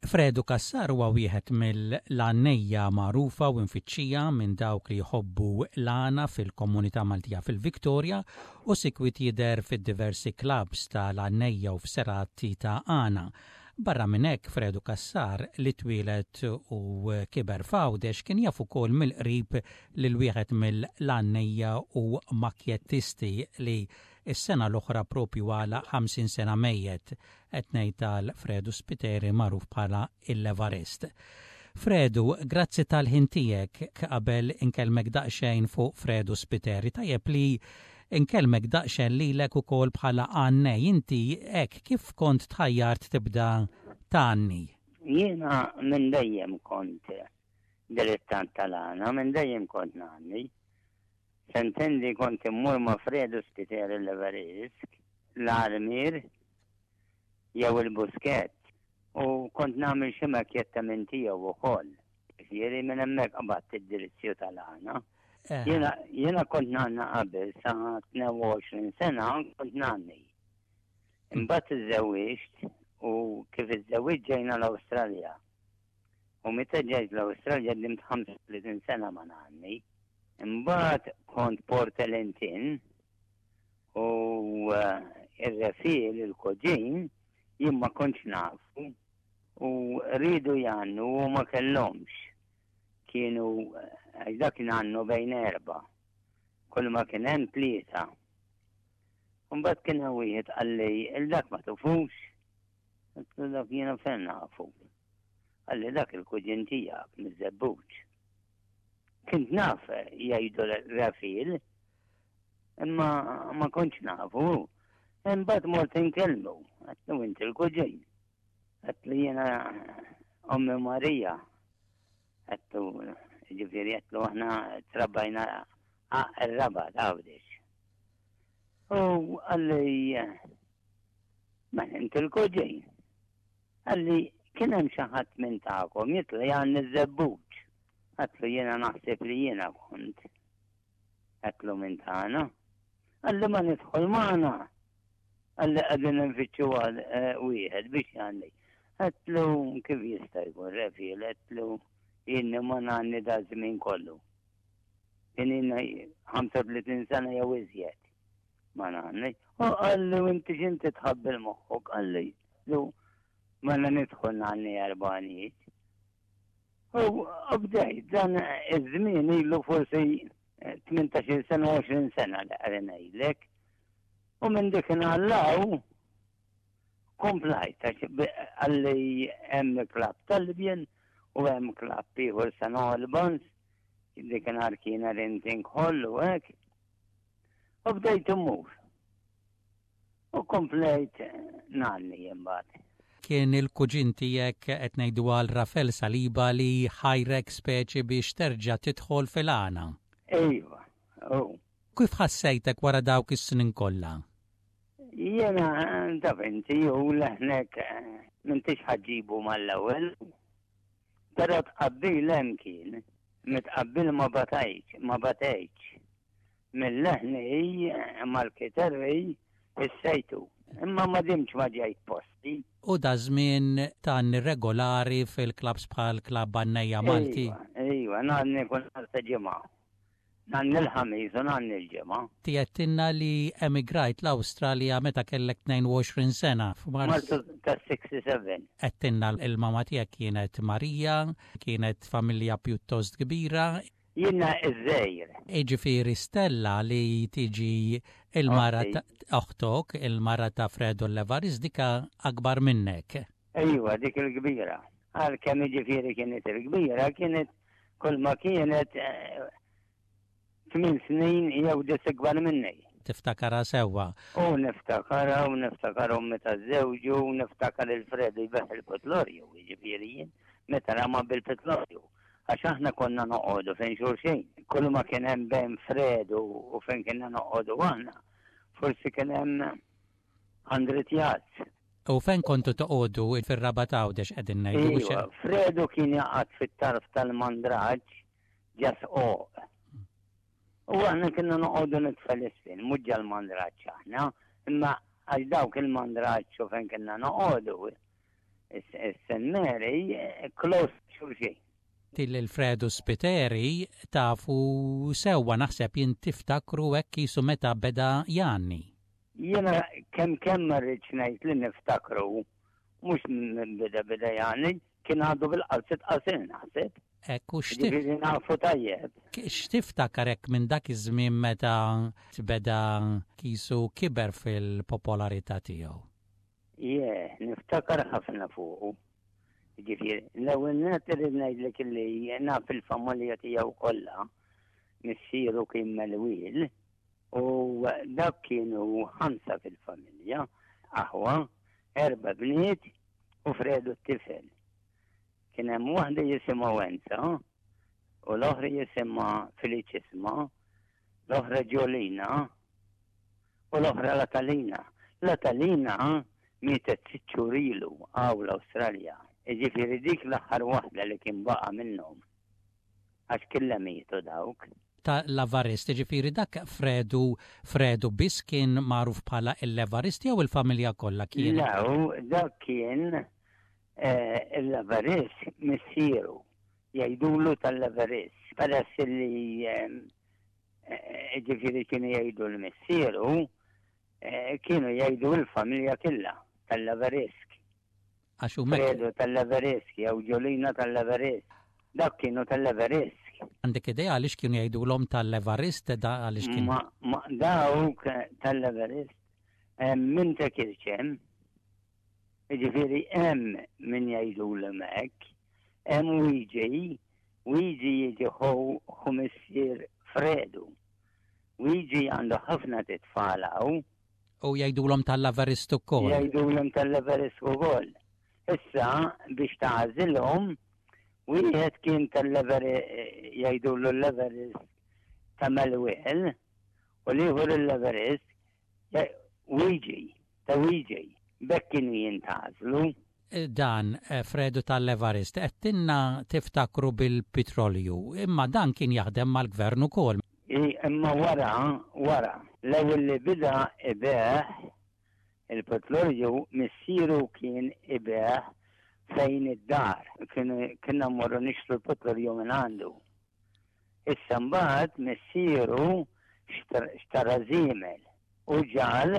Fredu Cassar huwa wieħed mill-għannejja magħrufa u mfittxija minn dawk li jħobbu l-għana fil-komunità Maltija fil-Victoria u sikwit jidher fid-diversi clubs tal-għannejja u f'serati ta' għana. Barra minn hekk Fredu Cassar li twieled u kiber f'Għawdex kien jaf ukoll mill-qrib lil wieħed mill-għannejja u makjettisti li s-sena l-oħra propju għalaq 50 sena mejjet. Qed ngħid għal Fredu Spiteri magħruf bħala il-Levarist. Fredu, grazzi tal-ħin tiegħek qabel inkellmek daqsxejn fuq Fredu Spiteri. Tajjeb li nkellmek daqsxejn lilek ukoll bħala għannej. Inti hekk kif kont tħajjart tibda tgħanni? Jiena minn dejjem kont dilettant tal-għana, minn dejjem kont ngħanni. Sentendi kont immur ma' Fredu Spiteri l-Levarist, l-Armier, jew il-Buskett u kont nagħmel xi makjetta minn tiegħu wkoll. Ġifieri minn hemmhekk qbadt id-dirizzju tal-għana. Eh. Jiena jiena kont ngħanna qabel sa 22 sena kont ngħanni. Imbagħad iżżewwiġt u kif iżżewwiġt ġejna l-Awstralja. U meta ġejt l-Awstralja dimt 35 sena ma ngħanni. Imbagħad kont Port Elentin U ir-refiel, il-koġin, jien ma kontx nafu u riedu jgħannu u ma kellhomx. Kienu, għax dak kien għannu bejn erbgħa. Kull ma kien hemm tlieta. Mbagħad kien hemm wieħed qalli il dak ma tufux. Għedtlu dak jiena fejn nafu. Qalli dak il-kuġin tiegħek miż-Żebbuġ. Kint naf jgħidu Rafil, Imma ma kontx nafu. Imbagħad mort inkellmu, għedtlu inti l-kuġin. Għedtlu jiena ommi Marija. Għedtlu ġifieri għedtlu aħna trabbajna ir-raba Għawdex. U qalli ma inti l-kuġin. Qalli kien hemm xi ħadd minn tagħkom jitla' jgħanni ż-żebbuġ. Għedtlu jiena naħseb li jiena kont. Għedtlu minn tagħna. Qalli ma nidħol magħna. Qalli qegħdin nfittxu eh, wieħed biex jgħanni. Għedtlu kif jista' jkun refiel, għedtlu jiena ma ngħanni da żmien kollu. Kien ilna 35 sena jew iżjed ma ngħanni. U qalli u inti x'inti tħabbil moħħok, qalli lu mela nidħol ngħanni erbanijiet. U bdejt dan iż-żmien ilu forsi 18 sena 20 sena li qegħdin ngħidlek. U minn dik law komplajt għalli hemm klab tal-Libjen u hemm klab ieħor San Albans, dik nhar kien renting hall u hekk. U bdejt immur. U komplejt ngħanni imbagħad. Kien il-kuġin tiegħek qed ngħidu għal Rafel Saliba li ħajrek speċi biex terġa' tidħol fil-għana. Iva, hu. Kif ħassejtek wara dawk is-snin kollha? Jiena taf inti u leħnek m'intix ħa ġġibu mal-ewwel. Però tqabbil hemm kien. Mitqabbil ma batajtx, ma batejtx. Mil-leħni mal-kiterri issejtu. Imma ma dimtx ma ġejt posti. U daż-żmien tgħanni regolari fil-klabbs bħal Klabb Għannejja Malti? Iva, iva, ngħanni kull nhar ta' Ġimgħa. Ngħanni l-Ħamis u ngħanni l-Ġimgħa. Inti għedtilna li emigrajt l-Awstralja meta kellek 22 sena, f'Marzu tas-67. Għedtilna l-mama tiegħek kienet Marija, kienet familja pjuttost kbira. Jiena ż-żgħir. Jiġifieri Stella li tiġi l-mara ta' oħtok, il-mara ta' Fredo Levaris, dik akbar minnek. Ejwa, dik il-kbira. Għalkemm jiġifieri kienet il-kbira, kienet kulma kienet tmien snin jew dis ikbar minni. Tiftakarha sewwa. U niftakarha u niftakar ommi ta' żewġu u niftakar il-Fredo jbigħ il-pitlorju, jiġifieri jien meta rama bil-pitlorju. Għax aħna konna noqogħdu fejn xulxin. Kull ma kien hemm bejn Fredu u fejn kienna noqogħdu aħna, forsi kien hemm 100 yards. U fejn kontu toqogħdu fir-Rabat Għawdex qegħdin ngħidu? Iva, Fredu kien jaqgħod fit-tarf tal-Mandraġġ ġa sqoq. U aħna kienna noqogħdu nitfel isfel, mhux ġal-Mandraġġ aħna, imma għax dawk il-Mandraġġ u fejn kienna noqogħdu. Is-St. Mary close xulxin. Lil Fredu Spiteri tafu sewwa naħseb jien tiftakru hekk qisu meta beda jgħanni. Jiena kemm kemm ma rridx ngħid li niftakru mhux minn beda beda jgħanni, kien għadu bil-qalziet qasil naħseb. Hekk u x'tif. Jiġifieri nafu tajjeb. X'tiftakar hekk minn dak iż-żmien meta beda qisu kiber fil-popolarità tiegħu? Ie, niftakar ħafna fuqu. Jiġifieri, l-ewwel nett irrid ngħidlek illi naf il-familja tiegħu kollha, missieru kien Melwiel u dak kienu ħamsa fil-familja, aħwa, erba' bniet u Fredu t-tifel. Kien hemm waħda jisimha Wenza u l-oħra jisimha Feliċisma, l-oħra Ġolina u l-oħra Latalina. Latalina mietet sitt xhur ilu hawn l-Awstralja. Jiġifieri dik l-aħħar waħda li kien baqa' minnhom. Għax killa mietu dawk. Ta' l-Avarist, jiġifieri dak Fredu Fredu biss kien magħruf bħala l-Evarist jew il-familja kollha kienet? Le, dak kien l-Avarist missieru, jgħidulu tal-Avarist. Peress li Ġifieri kienu jgħidu l-missieru, kienu jgħidu l-familja killa tal-Laverisk. Għax huma. Fredo tal-Laverisk jew Ġolina tal-Laverisk. Dak kienu tal-Laverisk. Għandek idea għaliex kienu jgħidulhom tal-Levarist da għaliex kien. Ma dawk tal-Levarist minn ta' kirċem, jiġifieri hemm min jgħidulhom hekk, hemm Wiġi Wiġi jiġi ħu ħu missier Fredu. Wiġi għandu ħafna titfal hawn. U jgħidulhom tal-Everest ukoll. Jgħidulhom tal-Everest ukoll. Issa biex tagħżilhom wieħed kien tal-Everest jgħidulu l-Everest ta' Melwiel u l-ieħor l-Everest Wiġi, ta' Wiġi. B'hekk kienu jintgħażlu. Dan, Fredu tal-Evarist, għedtilna tiftakru bil-pitrolju, imma dan kien jaħdem mal-gvern ukoll. Imma wara, wara. L-ewwel li bida ibigħ il-pitrolju missieru kien ibigħ fejn id-dar. Kienna mmorru nixtru l-pitrolju minn għandu. Issa mbagħad missieru xtara żiemel u ġagħal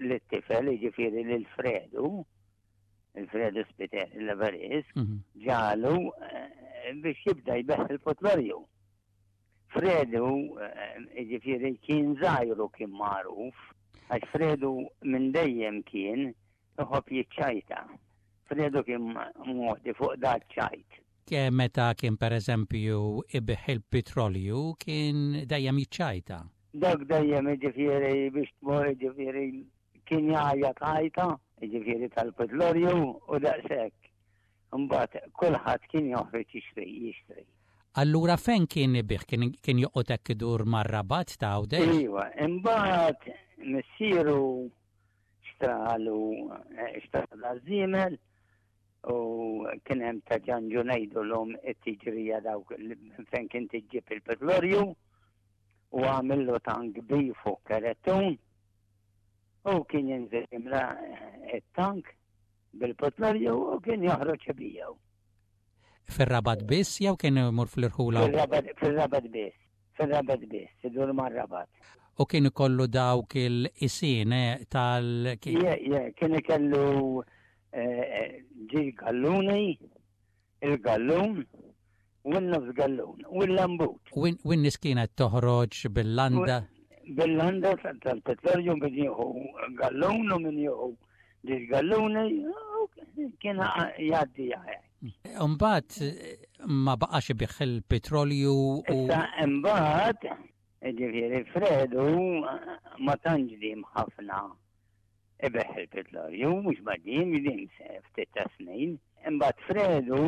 lit-tifel, jiġifieri lil Fredu, il-Fredu Spiteri l-Everest, mhm. ġagħlu eh, biex jibda jbeħ il-potlorju. Fredu, eh, jiġifieri kien żgħiru kien magħruf, għax Fredu minn dejjem kien iħobb jiċċajta. Fredu kien modi fuq da ċajt. Meta kien pereżempju ibigħ il-pitrolju kien dejjem jiċċajta. Dak dejjem jiġifieri biex tmur jiġifieri kien jgħajjat għajta, jiġifieri tal-pitrolju u daqshekk. Imbagħad kulħadd kien joħroġ jixtri jixtri. Allura fejn kien ibigħ? Kien kien joqgħod hekk idur mar-Rabat ta' Għawdex? Iva, imbagħad missieru xtralu xtrala żiemel U kien hemm ta' Ġanġu ngħidulhom it-tiġrija dawk fejn kien tiġġib il-petrolju u għamillu tank kbir fuq kerettun u kien jinżel jimla it-tank bil-petrolju u kien joħroġ ibiegħu. Fir-Rabat biss jew kien imur fl-irħula? Fir-Rabat biss. Fir-Rabat biss, idur mar-Rabat. U kien ikollu dawk il-qisien eh, tal. Je, je, kien ikellu eh, ġi galluni, il-gallun, u n-nofs gallun, u l-lambut. U n-nies kienet toħroġ bil-landa? Bil-landa tal-petrolju min jieħu gallun u min jieħu ġi galluni, kien jgħaddi jgħaj. Imbagħad ma baqax ibigħ il-petrolju u. Issa imbagħad, ġifieri Fredu ma tantx diem ħafna ibigħ il-petrolju, mhux ma diem, diem ftit ta' snin. Imbagħad Fredu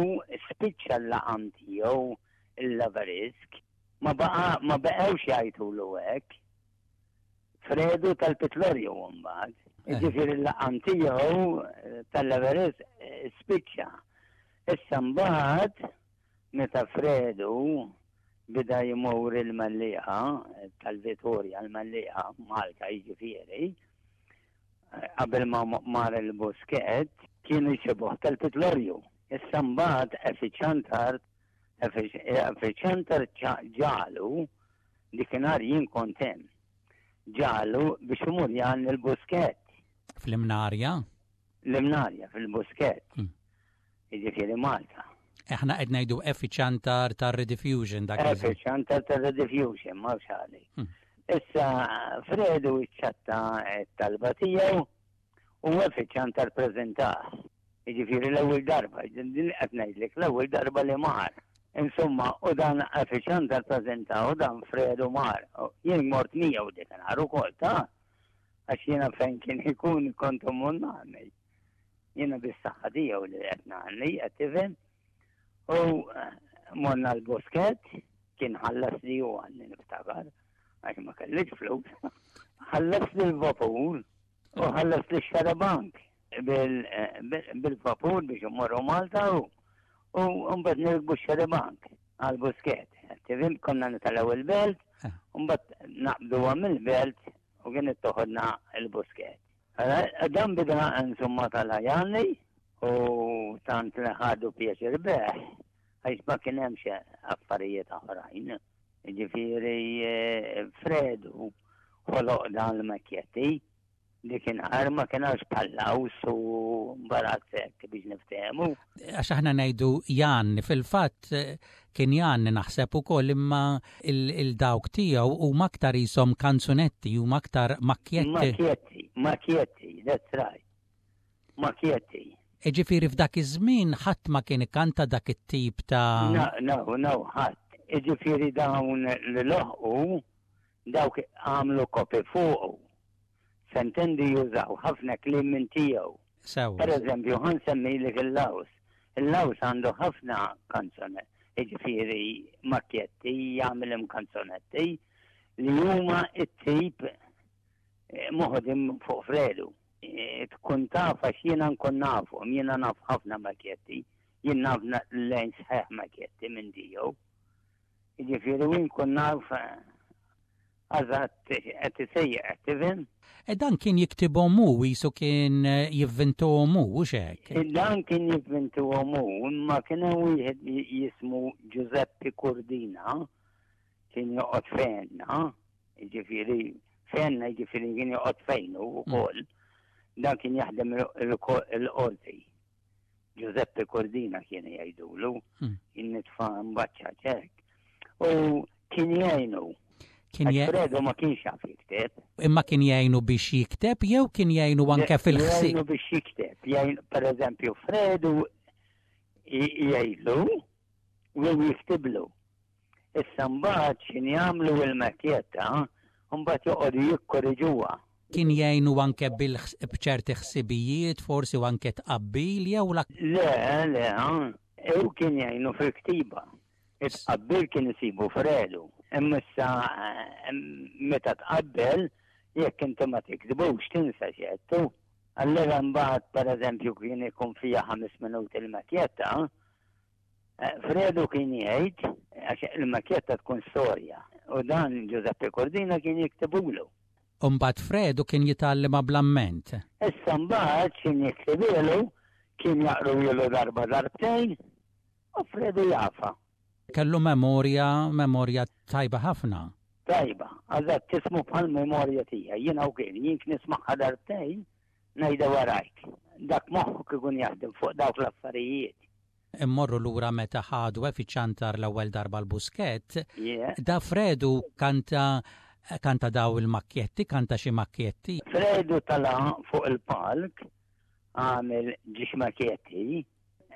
spiċċa l-laqam tiegħu il-Lavarisk, ma baqa' ma baqgħux jgħidulu hekk. Fredu tal-Pitlorju mbagħad. Eh. Ġifieri l-laqam tiegħu eh, tal-Everest eh, spiċċa. Issa mbagħad meta Fredu bida jmur il-Mellieħa tal-Vitorja l-Mellieħa Malta jiġifieri qabel ma mar il-Busket. Kienu jsibuh tal-Pitlorju. Issa mbagħad Effie Ciantar, Effie Ciantar ġagħlu, dikinhar jien kont hemm, ġagħlu biex imur jgħanni l-Buskett. Fl-Imnarja? L-Imnarja, fil-Buskett. Jiġifieri Malta. Aħna qed ngħidu Effie Ciantar tar-Rediffusion dak. Effie Ciantar tar-Rediffusion, ma xali. Issa Fredu iċċatta t-talba tiegħu u Effie Ciantar preżentah. Jiġifieri l-ewwel darba, din qed ngħidlek l-ewwel darba li mar. Insomma, u dan Effie Ciantar preżentah u dan Fredu mar. Jien mort miegħu dik nhar ukoll ta' għax jiena fejn kien ikun kont immur nagħmel. Jiena bis-saħħa tiegħu li qed ngħanni, qed tifhem. U eh, morna l-bosket, kien ħallas li hu għanni niftakar, għax ma kellix flus. Ħallas li l-vapur u ħallas li x-xarabank eh, bil-vapur biex immorru Malta u u mbagħad nirkbu x-xarabank għal-busket. Tifhem konna nitalgħu il-belt, eh. u mbagħad naqbduha mill-belt u kienet toħodna il-busket. Dan bida insomma tal-ħajani u tant li ħadu pjaċir beħ, għax ma kien hemmx affarijiet oħrajn. Ġifieri eh, Fredu ħoloq dan l-makjetti li kien ħar ma kien għax bħallaws u mbarazzek biex niftehmu. Għax aħna ngħidu Jan, fil-fatt Kien jgħanni naħseb ukoll imma il-dawk tiegħu huma aktar qishom kanzunetti, huma aktar makkjetti. Makkjetti, makkjetti, that's right. Makkjetti. Ġifieri f'dak iż-żmien ħadd ma kien ikanta dak it-tip ta' No, no, no, ħadd. Ġifieri dawn li loħqu dawk għamlu kopi fuqu. Sentendi jużaw ħafna kliem minn tiegħu. Sewwa. Per eżempju, ħa nsemmilek il-Laws. Il-Laws għandu ħafna kanzone, jiġifieri makkjetti, jagħmilhom kanzonetti li huma t-tip eh, moħodim fuq Fredu. Eh, tkun taf għax jiena nkun nafhom, jiena naf ħafna makkjetti, jien naf lejn sħiħ makkjetti minn tiegħu. Jiġifieri u nkun naf eh, Eżatt, qed isejjaq, qed tifhem? E dan kien jiktibhom hu, qisu kien eh, jivvintuhom hu, hux hekk? E dan kien jivvintuhom hu, imma kien hemm wieħed jismu Giuseppe Cordina, kien joqgħod fejna, jiġifieri fejna jiġifieri kien joqgħod fejnu wkoll. Mm. Dan kien jaħdem il-qorti. Giuseppe Cordina kien jgħidulu, hmm. kien nitfa' mbaċċa ċek. U kien jgħinu. Kien Fredo ma kienx jaf jikteb. Imma kien jgħinu biex jikteb jew kien jgħinu anke fil-ħsieb? Jgħinu biex jikteb. Jgħinu, per eżempju, Fredu jgħidlu u jiktiblu. Issa mbagħad x'in jagħmlu il-makkjetta, mbagħad joqogħdu jikkorriġuha. Kien jgħinu anke b'ċerti ħsibijiet, forsi u anke tqabbil jew la. Le, le, u kien jgħinu fil-ktiba. It-tqabbil kien isibu Fredu. Imma issa meta tqabbel, jekk inti ma tiktbux tinsa x'għedtu. Allura mbagħad pereżempju kien ikun fiha ħames minuti l-makkjetta, eh, Fredu kien jgħid għax il-makkjetta tkun storja u dan Giuseppe Cordina kien jiktibulu. U mbagħad Fredu kien jitgħallimha bl-amment. Issa mbagħad x'in jiktibilu kien jaqruhielu darba darbtejn U Fredu jafha. Kellu memorja, memorja tajba ħafna. Tajba, eżatt tismu bħal memorja tiegħi. Jiena u kien, jien nismagħha darbtejn ngħidha warajk. Dak moħħok ikun jaħdem fuq dawk l-affarijiet. Immorru lura meta ħadu fiċ-ċantar l-ewwel darba l-Buskett. Da Fredu kanta kanta daw il-makkjetti, kanta xi makkjetti. Fredu tala' fuq il-palk għamel ġiex makkjetti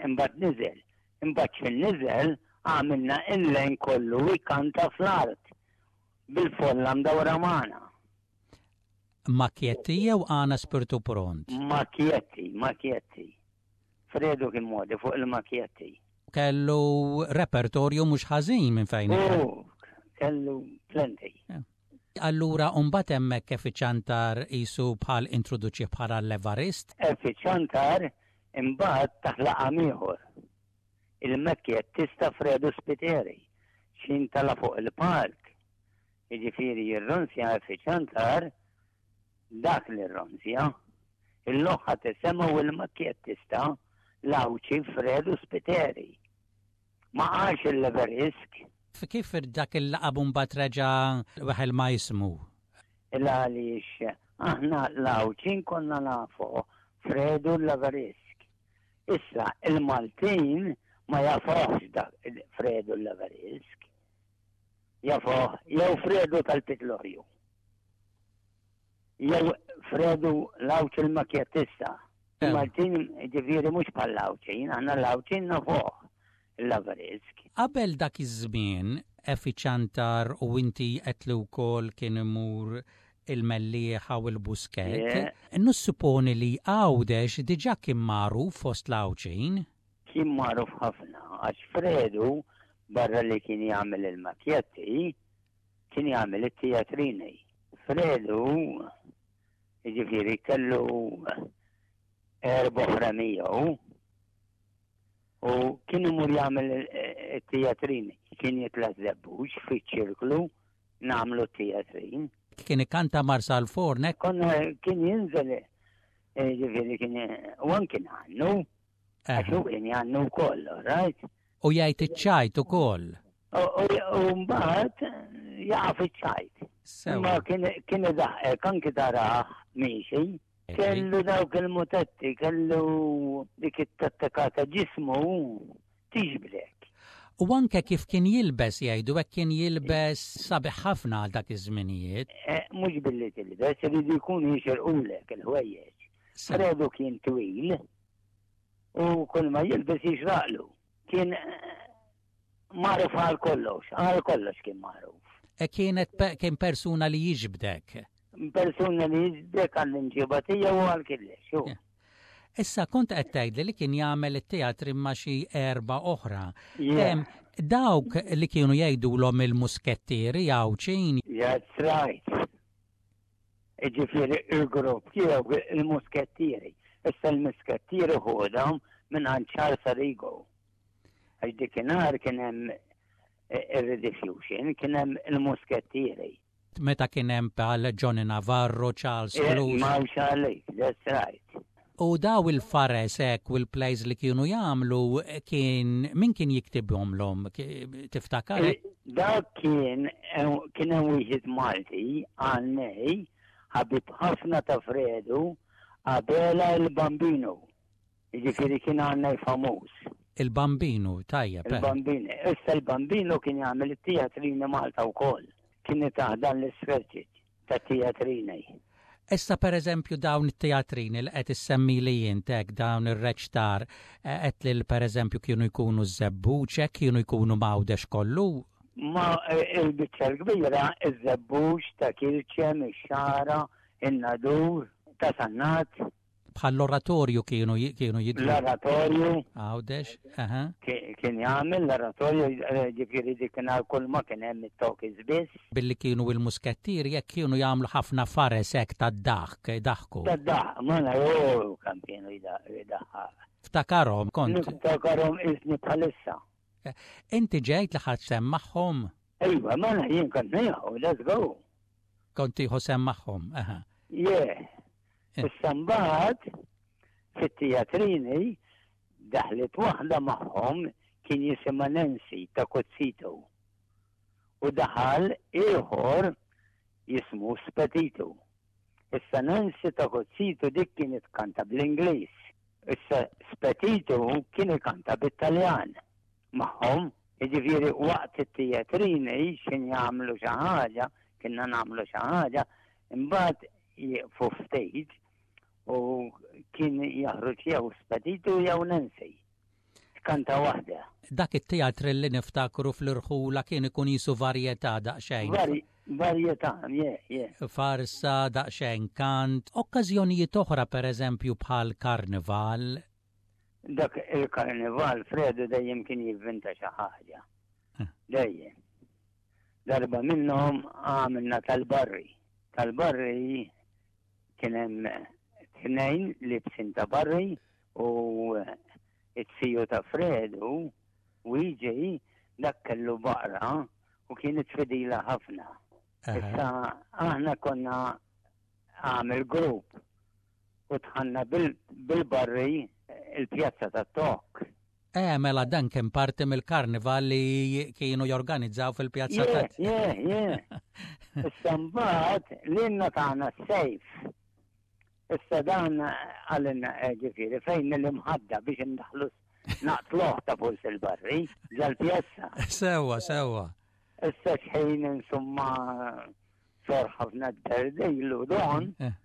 Imbagħad niżel. Imbagħad x'ħin niżel, għamilna il-lejn kollu jkanta fl-art bil-folla mdawra magħna. Makjetti jew għana spirtu pront? Makjetti, makjetti. Fredu kien modi fuq il-makjetti. Kellu repertorju mhux ħażin minn fejn. Oh, kellu plenty. Allura mbagħad hemmhekk Efi Ciantar qisu bħal introduċih bħala l-Evarist? Efi Ciantar imbagħad tah laqam ieħor. Il-Mekkettista Fredu Spiteri, x'ħin tala' fuq il-palk, jiġifieri jirrunzja Efi Ciantar, dak li rrunzja. Il-loħħa tisemgħu il-makjettista l-Għawdxi Fredu Spiteri. Ma qalx il-Leverisk. Kif dak il-laqab mbagħad reġa' weħel ma' ismu? Il għaliex aħna l-Għawdxin konna nafu Fredu l-Leverisk. Issa il-Maltin ma jafuhx dak Fredu l-Leverisk. Jafuh jew Fredu tal-Pitlorju. Jew Fredu l-Għawdxi l-makjettista. Il-Maltin ġifieri mhux bħall-Għawdxin, aħna l-Għawdxin nafuh il-Laverisk. Qabel dak iż-żmien, Effie Ciantar u inti għedt li wkoll kien imur il-Mellieħa u l-Buskett, nussuponi li Għawdex diġà kien magħruf fost l-Għawdxin. Kien magħruf ħafna għax Fredu barra li kien jagħmel il-makjetti, kien jagħmel it-teatrini. Fredu, jiġifieri kellu erba' oħra miegħu u kien imur jagħmel it-teatrini. Kien jitla' żebbuġ fiċ-ċirklu nagħmlu t-teatrin. Kien ikanta Marsalforn hekk? Konna kien jinżel, jiġifieri kien u anki ngħannu. Għax hu kien jgħannu wkoll, right? U jgħid iċ-ċajt ukoll. U mbagħad jaqa' fiċ-ċajt. Ma kien idaħqek anki tarah miexi. Kellu dawk il-mutetti, kellu dik it-tattika ta' ġismu tiġbdek. U anke kif kien jilbes jgħidu hekk kien jilbes sabiħ ħafna għal dak iż-żminijiet. Eh, mhux billi tilbes, iridu jkunu jixirqulek il-ħwejjeġ. Fredu kien twil u kull ma jilbes jixraqlu. Kien eh, magħruf għal kollox, għal kollox kien magħruf. E kienet kien persuna li jiġbdek. Persuna li jiġbdek għall-imġiba tiegħu u għal kollox. Issa kont qed tgħidli li kien jagħmel it-teatri ma' xi erba' oħra. Dawk li kienu jgħidulhom il-muskettieri Għawdxin. That's right. Jiġifieri il-grupp tiegħu il-Muskettieri. Issa l-Muskettieri ħodhom minn għand Charles Arrigo. Għax dikinhar kien hemm eh, ir-Rediffusion, kien hemm il-Muskettieri. Meta kien hemm bħal Johnny Navarro, Charles eh, Cruz. Ma għalik, that's right. U daw il-fares hekk u l-plays li kienu jagħmlu kien min kien jiktibhomlhom tiftakar? Eh, dak kien kien hemm wieħed Malti għannej ħabib ħafna ta' Fredu Abela il-Bambino. Jiġifieri kien għannej famuż. Il-Bambino, tajjeb. Eh. Il-Bambino. Issa il-Bambino kien jagħmel it-teatrini Malta wkoll. Kien taħdan l-isferċiċ. ta' teatrini. Issa pereżempju dawn it-teatrini li qed issemmili int hekk dawn ir-reċtar qed lil pereżempju kienu jkunu ż-Żebbuġ hekk kienu jkunu m'Għawdex kollu? Ma il-biċċa l-kbira iż-Żebbuġ, ta' Kirċem, ix-Xagħra, in-Nadur, ta' Sannat. Bħall-oratorju kienu kienu jidhru. L-oratorju. Għawdex, aha. Kien jagħmel l-oratorju, eh, ġifieri dik nhar kull ma kien hemm it-talkies biss. Billi kienu il-muskettieri jekk kienu jagħmlu ħafna fares hekk tad-daħk, daħku. Tad-daħk, ma naraw kemm kienu jdaħħaq. Ftakarhom kont. Niftakarhom isni bħalissa. Eh, inti ġejt li ħadd sehem magħhom? Iva, mela jien kont nieħu, let's go. Kont tieħu sehem magħhom, aha. Yeah. Issa mbagħad fit-teatrini daħlet waħda magħhom kien jisimha Nancy ta' Cozzito. U daħal ieħor jismu Spetito. Issa Nancy ta' Cozzito dik kienet tkanta bl-Ingliż. Issa Spetito kien ikanta bit-Taljan magħhom. Jiġifieri waqt it-teatrini x'in jagħmlu xi ħaġa, kienna nagħmlu xi ħaġa, imbagħad jieqfu ftit u kien jaħruġ jew Speditu jew Nancy. Tkanta waħda. Dak it-teatr li niftakru fl-irħula kien ikun jisu varjetà daqsxejn. Varjetà, yeah, yeah. Farsa, daqsxejn kant, okkażjonijiet oħra pereżempju bħal karnival. Dak il-karnival Fredu dejjem kien jivvinta xi ħaġa. Eh. Dejjem. Darba minnhom għamilna tal-barri. Tal-barri kien hemm tnejn libsin ta' barri u it-tiju ta' Fredu Wiġi dak kellu baqra u kienet fidila ħafna. Issa aħna konna għamil grupp. U dħalna bil-barri il-pjazza tat-Tok. Eh, mela dan kien parti mill-karnival li kienu jorganizzaw fil-pjazza ta' Yeah, yeah. Issa mbagħad lilna tagħna s-sejf. Issa dan għalinna eh, ġifieri fejn l-imħadda biex indaħlu naqtluh ta' puls il-barri ġal-pjazza. Sewwa, sewwa. Issa xħin insomma sor ħafna d-derdilu don, eh.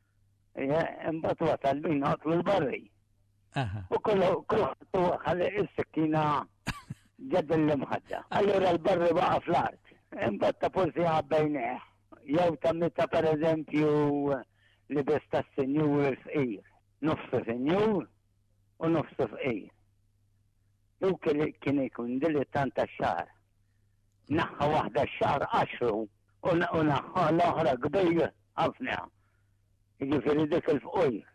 Imbagħad wasal biex naqtlu l-barri. U kollu kulħadd ħalli is-sikkina ġed l-imħadda. Allura l-barri baqa' fl-art. Imbagħad ta' forsi għabbejnieh. Jew ta' meta pereżempju libes tas-sinjur il-fqir. Nofsu sinjur u nofsu fqir. Hu kien ikun dilettant tax-xagħar. Naħħa waħda x-xagħar qaxru u naħħa l-oħra kbir ħafna. Jiġifieri dik il-fqir.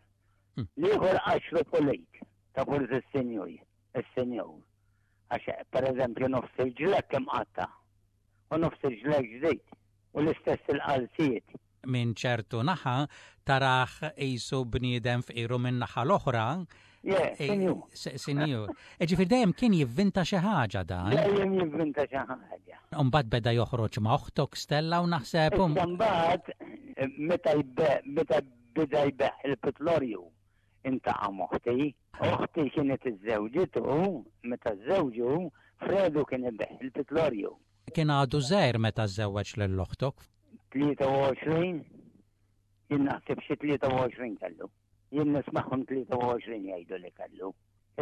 Hmm. L-ieħor qaxru pulit ta' forsi s-sinjur, is-sinjur. Għax pereżempju nofs il-ġlekk imqatta' u nofs il-ġlekk ġdid u l-istess il-qalziet. Minn ċertu naħa tarah qisu bniedem fqir u min-naħa l-oħra Sinjur. Sinjur. Ġifieri dejjem kien jivvinta xi ħaġa dan. Dejjem jivvinta xi ħaġa. Imbagħad beda joħroġ ma' oħtok Stella u naħseb. Imbagħad meta meta beda jbeħ il-pitlorju intaqa' m'oħti. Oħti kienet iżżewġitu meta żżewġu Fredu kien ibeħ il-pitlorju. Kien għadu żgħir meta żżewweġ lil oħtok. 23, jien naħseb xi 23 kellu. Jien nismagħhom 23 jgħidu li kellu.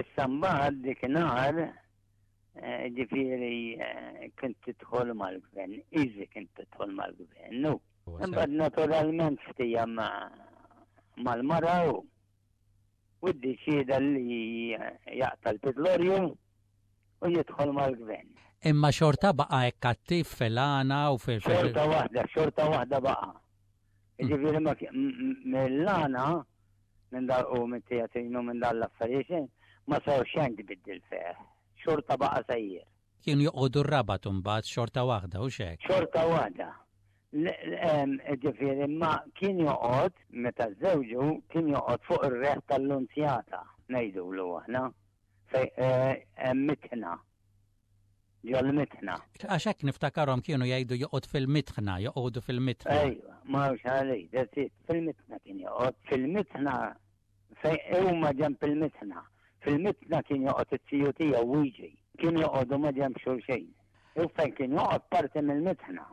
Issa mbagħad dikinhar eh, ġifieri eh, kint tidħol mal-gvern, easy kint tidħol mal-gvern, nu. Imbagħad naturalment ftija mal-mara u u ddeċieda li jaqta' l-pitlorju u jidħol mal-gvern. Imma xorta baqa' hekk attiv fil-għana u fil- Xorta waħda, xorta waħda baqa'. Jiġifieri ma mill-għana minn dal u minn teatrinu minn dan l-affarijiet ma sar xejn tbiddil fih. Xorta baqa' sejjer. Kienu joqogħdu r-Rabat imbagħad xorta waħda, hux hekk? Xorta waħda. Ġifieri ma kien joqgħod meta żewġu kien joqgħod fuq ir-reħ tal-Lunzjata ngħidulu aħna fejn eh, hemm mitħna. Ġol-mitħna. Għax hekk niftakarhom kienu jgħidu joqgħod fil-mitħna, joqogħdu fil-mitħna. Ejwa, ma hawnx għalej, that's it, fil-mitħna kien joqgħod. Fil-mitħna Fejn huma ġenb il-mitħna. Fil-mitħna kien joqgħod it-tiju tiegħu Wiġi. Kienu joqogħdu ma' ġenb xulxin. U fejn kien joqgħod parti mill-mitħna.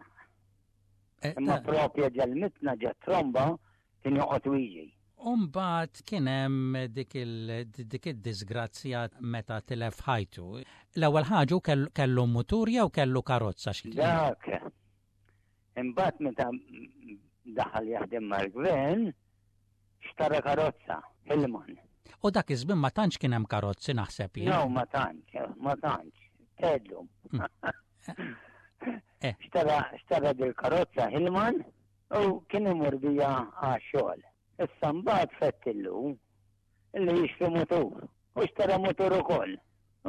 Eh, Imma propja ġel-mitħna ġe tromba kien joqgħod Wiġi. Umbagħad kien hemm dik id-disgrazzja meta tilef ħajtu. L-ewwel ħaġa kellu mutur jew kellu karozza? Dak. Imbagħad meta daħal jaħdem mal-gvern, Xtara karozza, Hillman. U dak iż-żmien ma tantx kien hemm karozzi naħseb jien. No, ma tantx, ma tantx. Tedlu. Eh. Xtara xtara dil-karozza Hillman u kien imur bija għax-xogħol. Issa mbagħad fettillu illi jixtri mutur. U xtara mutur ukoll.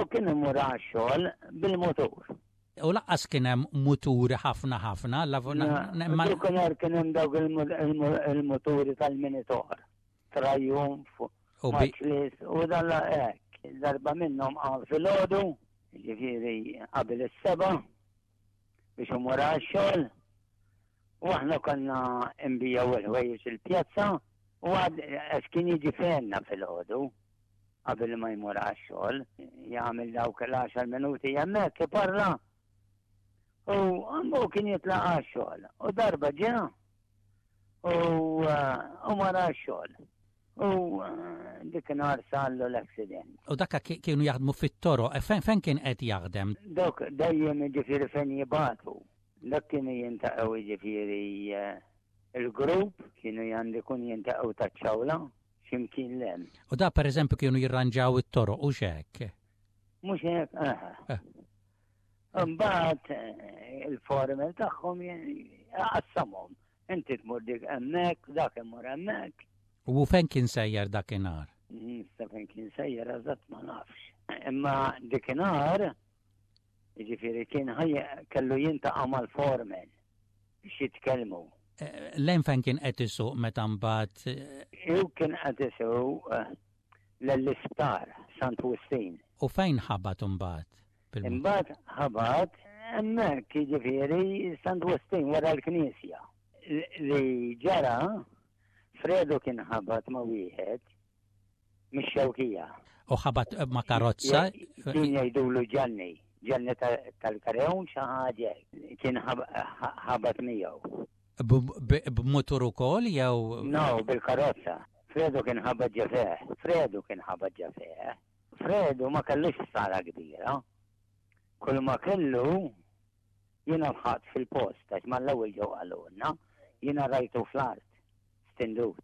U kien imur għax-xogħol bil-mutur. U laqqas kien hemm muturi ħafna ħafna. Dakinhar kien hemm dawk il-muturi tal-minitor. Triumph, Matchless u dan hekk. Darba minnhom qam filgħodu, ġifieri qabel is-seba' biex imur għax-xogħol. U aħna konna nbijaw il-ħwejjeġ il-pjazza u għad għax kien jiġi fejna filgħodu qabel ma jmur għax-xogħol, jagħmel dawk l-għaxar minuti hemmhekk iparla. U għammu kien jitlaq għax-xogħol. U darba ġa u u mar għax-xogħol. U eh, dik nhar sallu l-accident. U dakka kienu jaħdmu fit-toro, e fejn kien qed jaħdem? Dok dejjem jiġifieri fejn jibatu. Dak kienu jintaqgħu jiġifieri eh, il-grupp kienu jgħandikun jintaqgħu taċ-ċawla x'imkien 'l hemm. U da pereżempju kienu jirranġaw it-toroq u x'hekk? Mhux hekk, aha. Eh. Imbagħad eh, il-formel tagħhom qassamhom. Inti tmur dik hemmhekk, dak imur hemmhekk. U fejn kien sejjer dakinhar? Issa fejn kien sejjer eżatt ma nafx. Imma dikinhar, jiġifieri kien kellu jintaqa' mal-foreman biex jitkellmu. Lejn fejn kien qed isuq meta mbagħad? Hu kien qed isuq l-isptar Sant Wistin. U fejn ħabat imbagħad? Imbagħad ħabat hemmhekk jiġifieri Sant Wistin wara l-knisja. Li ġara Fredu kien ħabat ma' wieħed mix-Xewkija. U ħabat ma' karozza? Kien jgħidulu Ġanni, Ġanni tal-Karewn xi ħaġa kien ħabat miegħu. B'mutur ukoll jew? No, bil-karozza. Fredu kien ħabat ġo fih. Fredu kien ħabat ġo fih. Fredu ma kellux ħsara kbira. Kull ma kellu jiena lħaqt fil-post għax mal-ewwel ġew qalulna, jiena rajtu fl-art stindut.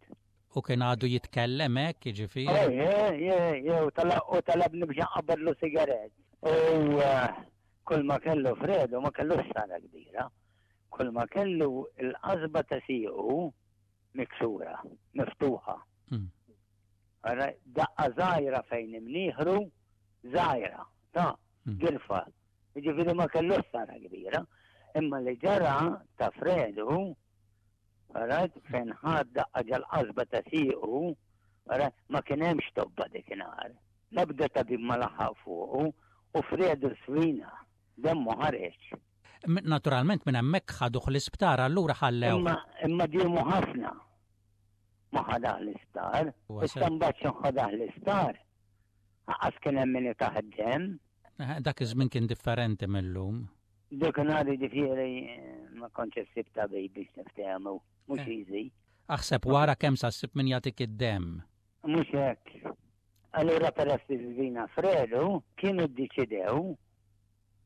U kien għadu jitkellem hekk, jiġifieri? Eh, eh, u talabni biex nqabbadlu sigarett. U eh, kull ma kellu Fredu ma kellux ħsara kbira. Kull ma kellu l-qasba ta' siequ miksura, miftuħa. Hmm. Daqqa żgħira fejn imnieħru, żgħira, ta' hmm. girfa. Jiġifieri ma kellux ħsara kbira. Imma li ġara ta' Fredu, rajt fejn ħad daqqa ġal-qasba ta' siequ, ma kien hemmx tobba dikinhar. L-ebda tabib ma laħaq fuqu u Fredu svina, demmu ħareġ. Naturalment minn hemmhekk ħaduh l-isptar allura ħallew. Imma imma diemu ħafna ma ħadah l-isptar. Issa mbagħad xi ħadah l-isptar. Aqas kien hemm min itah id-demm. Dak iż-żmien kien differenti mill-lum. Dak nhar jiġifieri ma kontx issib tabib biex niftehmu, mhux eh. easy. Aħseb wara kemm sa ssib min jagħtik id-demm. Mhux hekk. Allura peress li żvina Fredu kienu ddeċidew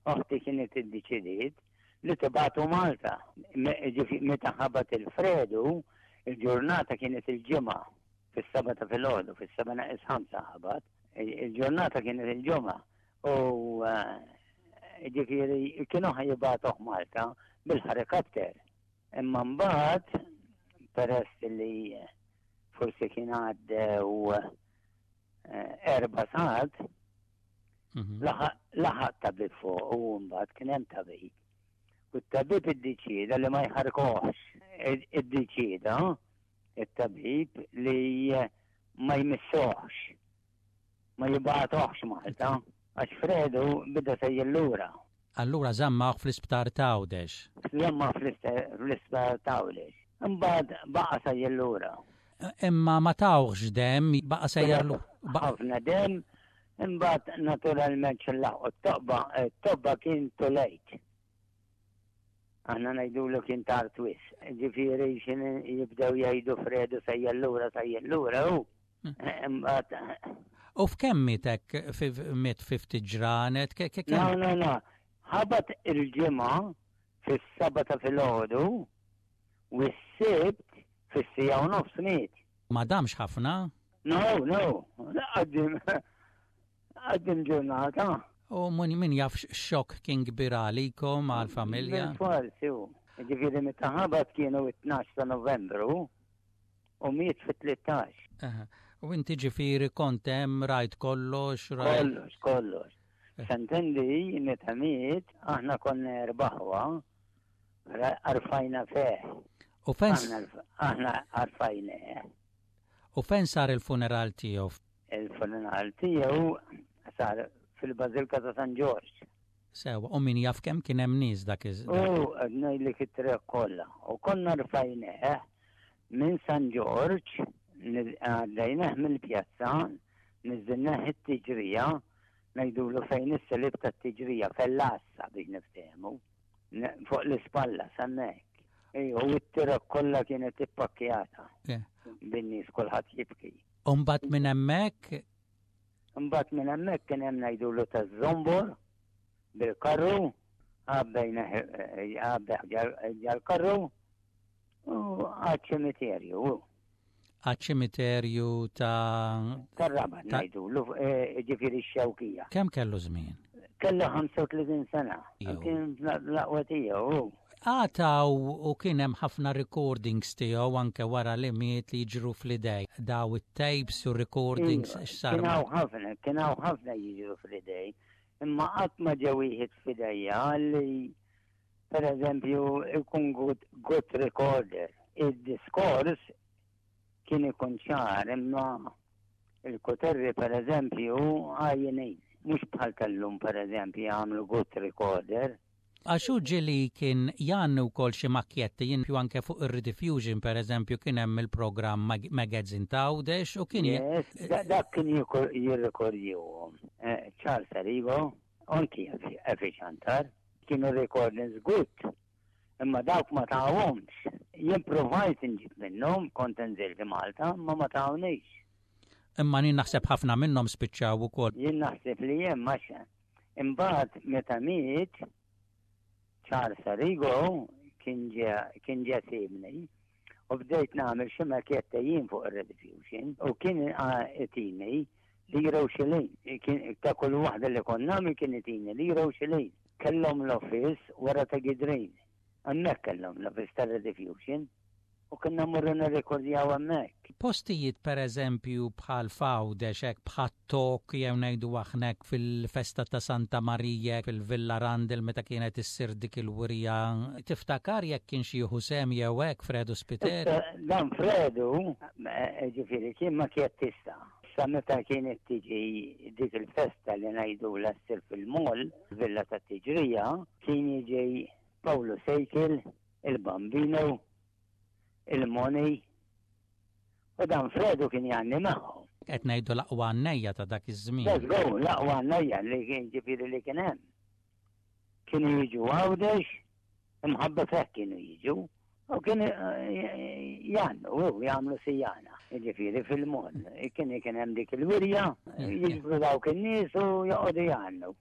Oħti kienet iddeċidiet li tibagħtu Malta. Meta ħabat il-Fredu, il-ġurnata kienet il-Ġimgħa, fis-sebgħa ta' filgħodu, fis-sebgħa neqes ħamsa ħabat. Il-ġurnata kienet il-Ġimgħa u eh, ġifieri kienu ħajibagħtuh Malta bil-ħarikopter. Imma mbagħad peress li forsi kien għaddew eh, erba' sigħat, Mhm. Laħaq tabib fuq u mbagħad kien hemm tabib. U t-tabib iddeċieda li ma jħarkohx. Iddeċieda it-tabib li ma jmissuhx, ma jibgħatuhx Malta, għax Fredu bida sejjer lura. Allura żammawh fl-isptar t'Għawdex. Żammawh fl-isptar t'Għawdex. Imbagħad baqa' sejjer lura. Imma ma tawhx demm, baqa' sejjer lura. Ħafna demm, Imbagħad naturalment xi laħqu t-toqba, t-tobba kien too late. Aħna ngħidulu kien tard wisq. Ġifieri xi jibdew jgħidu Fredu sejjer lura sejjer lura hu. Hmm. Imbagħad U f'kemm miet hekk miet fi ftit ġranet? No, no, no. Ħabat il-ġimgħa fis-seba' ta' filgħodu u s-sibt fis-siegħa u nofs miet. Ma damx ħafna? No, no, għaddim, għaddim ġurnata. U min jaf xokk kien kbir għalikom, għal-familja? Forsi, u. Ġifieri meta ħabat kienu it-12 ta' Novembru u miet fit-13. U inti ġifieri kont hemm rajt kollox, rajt. Kollox, kollox. Eh. Santendi meta miet aħna konna erbaħwa arfajna feh. U fejn? Aħna arfajna. U fejn sar il-funeral tiegħu? Il-funeral tiegħu sar fil-Bażilka ta' San Ġorġ. Sewa, u min jaf kemm kien hemm nies dak iż. U ngħidlek it-triq kollha. U konna rfajnieh minn San Ġorġ, għaddejnieh mill-pjazza, niżilnieh it-tiġrija, ngħidulu fejn is-salib tat-tiġrija, fell-għassa biex niftehmu. Fuq l-ispalla, s'hemmhekk. Ejja, u t-toroq kollha kienet ippakkjata. Bin-nies kulħadd jibki. U mbagħad minn hemmhekk? Mbagħad minn hemmhekk kien hemm ngħidulu taż-żombor bil-karru, għabbejna għabbeħ ġal-karru u għaċ-ċimiterju. Għaċ-ċimiterju ta' Tar-Rabat ngħidulu, eh, ġifieri x-Xewkija. Kemm kellu żmien? Kellu 35 sena. Kien l-aqwa tiegħu. Għataw u kien hemm ħafna recordings tiegħu anke wara li miet li jiġru fl-idej. Daw it-tapes u recordings iva, x'sar. Kien hawn ħafna, kien hawn ħafna jiġru fl-idej. Imma qatt ma ġew wieħed f'idejja li. Per eżempju, ikun good, good recorder. Id-diskors kien ikun ċar imma il-kuterri per eżempju għajjenin. Mhux bħal tal-lum per eżempju jagħmlu good recorder. Għax hu ġieli kien jgħanni wkoll xi makkjetti, jien più anke fuq ir-Rediffusion per eżempju kien hemm il-programm Magazine ta' Għawdex u kien Yes, dak kien jirrekordjuhom. Charles Arrigo, anki Effie Ciantar, kienu recordings good. Imma dawk ma tawhomx. Jien provajt inġib minnhom, kont inżilt Malta, imma ma tawniex. Imma jien naħseb ħafna minnhom spiċċaw ukoll. Jien naħseb li hemm għax imbagħad meta miet Charles Arrigo kien ġie kien ġie sibni u bdejt nagħmel xi makjetta jien fuq ir-Rediffusion u kien itini lira u xilin. Kien ta' kull waħda li kont nagħmel kien itini lira u xilin. Kellhom l-office wara ta' Gidrin. Hemmhekk kellhom l-office tar-Rediffusion. U konna mmorru nirrekordjaw hemmhekk. Postijiet per eżempju bħal f'Għawdex hekk bħat-Tok jew ngħidu aħna hekk fil-festa ta' Santa Marija fil-Villa Rundle meta kienet issir dik il-wirja, tiftakar jekk kienx jieħu sehem jew hekk Fredu Spiteri? Issa dan Fredu, ġifieri kien makjettista. Sa meta kienet tiġi dik il-festa li ngħidulha ssir fil-mall, Villa tat-Tiġrija, kien jiġi Pawlu Sejkil, il-Bambino, il-Moni, u dan Fredu kien jgħanni magħhom. Qed ngħidu l-aqwa għannejja ta' dak iż-żmien. Let's go, l-aqwa għannejja li kien ġifieri li kien hemm. Kienu jiġu Għawdex, imħabba feh kienu jiġu, u kienu jgħannu, u jagħmlu sijana, ġifieri fil-moll. Kien kien hemm dik il-wirja, jiġbru dawk in-nies u joqogħdu jgħannu.